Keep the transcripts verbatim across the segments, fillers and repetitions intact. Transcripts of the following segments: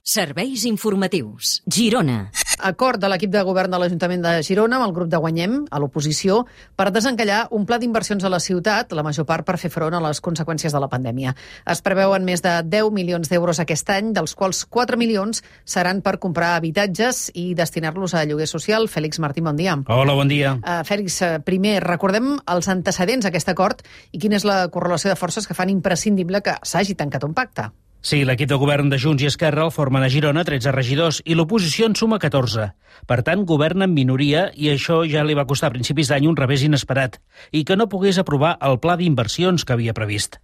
Serveis informatius. Girona. Acord de l'equip de govern de l'Ajuntament de Girona amb el grup de Guanyem, a l'oposició, per desencallar un pla d'inversions a la ciutat, la major part per fer front a les conseqüències de la pandèmia. Es preveuen més de deu milions d'euros aquest any, dels quals quatre milions seran per comprar habitatges i destinar-los a lloguer social. Fèlix Martín, bon dia. Hola, bon dia. Uh, Fèlix, uh, primer, recordem els antecedents d'aquest acord i quina és la correlació de forces que fan imprescindible que s'hagi tancat un pacte. Sí, l'equip de govern de Junts i Esquerra el formen a Girona tretze regidors i l'oposició en suma catorze. Per tant, governa en minoria i això ja li va costar a principis d'any un revés inesperat i que no pogués aprovar el pla d'inversions que havia previst.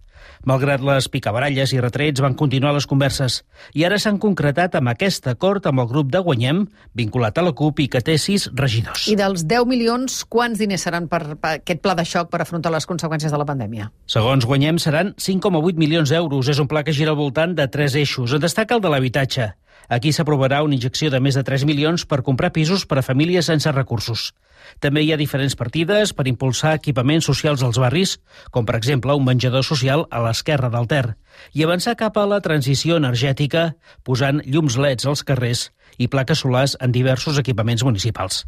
Malgrat les picabaralles i retrets, van continuar les converses i ara s'han concretat amb aquest acord amb el grup de Guanyem, vinculat a la CUP i que té sis regidors. I dels deu milions, quants diners seran per, per aquest pla de xoc per afrontar les conseqüències de la pandèmia? Segons Guanyem, seran cinc coma vuit milions d'euros. És un pla que gira al voltant de tres eixos. En destaca el de l'habitatge. Aquí s'aprovarà una injecció de més de tres milions per comprar pisos per a famílies sense recursos. També hi ha diferents partides per impulsar equipaments socials als barris, com per exemple un menjador social a l'esquerra del Ter, i avançar cap a la transició energètica posant llums L E Ds als carrers i plaques solars en diversos equipaments municipals.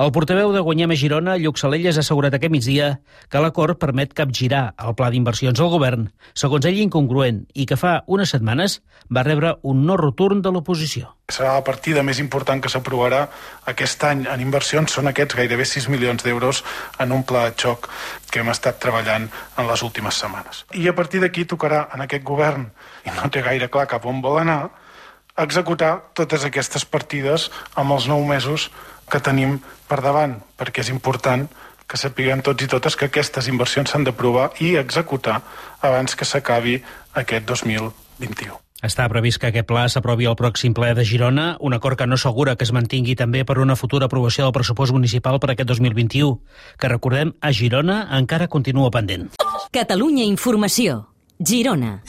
El portaveu de Guanyem a Girona, Lluc Salelles, ha assegurat aquest migdia que l'acord permet capgirar el pla d'inversions al govern, segons ell incongruent, i que fa unes setmanes va rebre un no rotund de l'oposició. Serà la partida més important que s'aprovarà aquest any en inversions, són aquests gairebé sis milions d'euros en un pla de xoc que hem estat treballant en les últimes setmanes. I a partir d'aquí tocarà en aquest govern, i no té gaire clar cap on vol anar, executar totes aquestes partides amb els nou mesos que tenim per davant, perquè és important que sapiguem tots i totes que aquestes inversions s'han d'aprovar i executar abans que s'acabi aquest dos mil vint-i-u. Està previst que aquest pla s'aprovi al pròxim ple de Girona, un acord que no assegura que es mantingui també per una futura aprovació del pressupost municipal per aquest dos mil vint-i-u, que recordem a Girona encara continua pendent. Catalunya Informació. Girona.